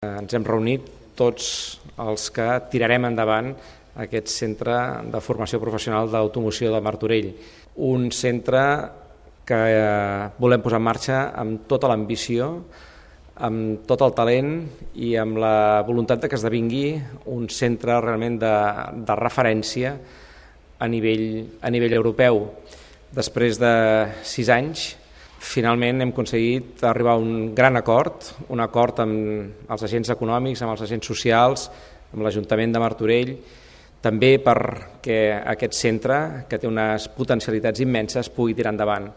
Ens hem reunit tots els que tirarem endavant aquest centre de formació professional d'automoció de Martorell. Un centre que volem posar en marxa amb tota l'ambició, amb tot el talent i amb la voluntat de que esdevingui un centre realment de referència a nivell europeu. Després de 6 anys, finalment hem aconseguit arribar a un gran acord, un acord amb els agents econòmics, amb els agents socials, amb l'Ajuntament de Martorell, també perquè aquest centre, que té unes potencialitats immenses, pugui tirar endavant.